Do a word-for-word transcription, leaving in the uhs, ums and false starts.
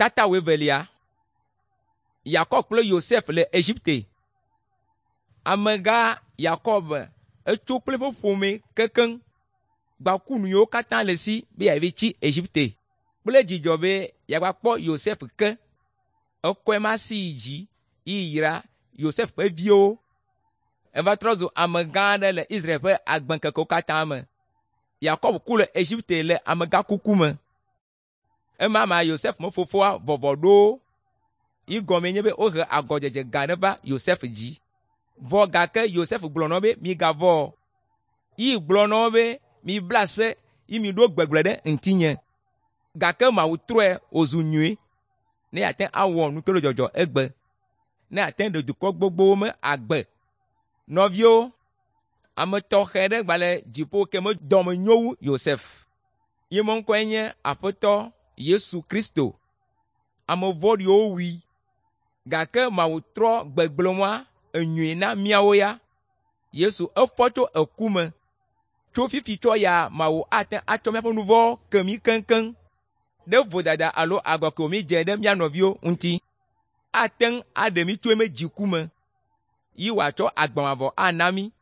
Tata wuievelia. Yakob kple Yosef le Egipte. Amegã Yakob etso kple eƒe ƒome keŋkeŋ gbaku nu yiwo katã le esi be yeava tsi Egipte kple dzidzɔ be yeava kpɔ Yosef ke. Ekɔe ma si yi dzi yi yra Yosef ƒe viwo. Eva trɔ zu amegã aɖe le Israel ƒe agbeŋkekewo katã me. Yakob ku le Egipte le amegãkuku me. Ema mea Yosef me fofoa vɔvɔ ɖo wo. Yi gɔmee nye be wohe agɔdzedze gã aɖe va Yosef dzi. Vɔ gake Yosef gblɔ na wo be migavɔ̃ o. Yi gblɔ na wo be mibla se yi miɖo gbegblẽ ɖe ŋutinye. Gake Mawu trɔe wòzu nyui ne yeate awɔ nu ke le dzɔdzɔ egbe. Ne yeate ɖe dukɔ gbogbowo me agbe. Nɔviwo, ame tɔxɛ ɖe gba le dziƒo ke me dɔme nyo wu Yosef. Ye me ŋkɔe nye Aƒetɔ Yesu Kristo. Ame vɔ̃ɖiwo wui gake Mawu trɔ gbegblẽ enyui na míawo ya. Yesu efɔ tso eku me. Tso fifi tsɔ ya Mawu ate atsɔ míaƒe nu vɔ̃wo ke mí keŋkeŋ ɖe vodada alo agɔ ke mídze ɖe mía nɔviwo ŋuti. Ate ŋu aɖe mí tso eme dziku me yi wòatsɔ agbe mavɔ ana mí.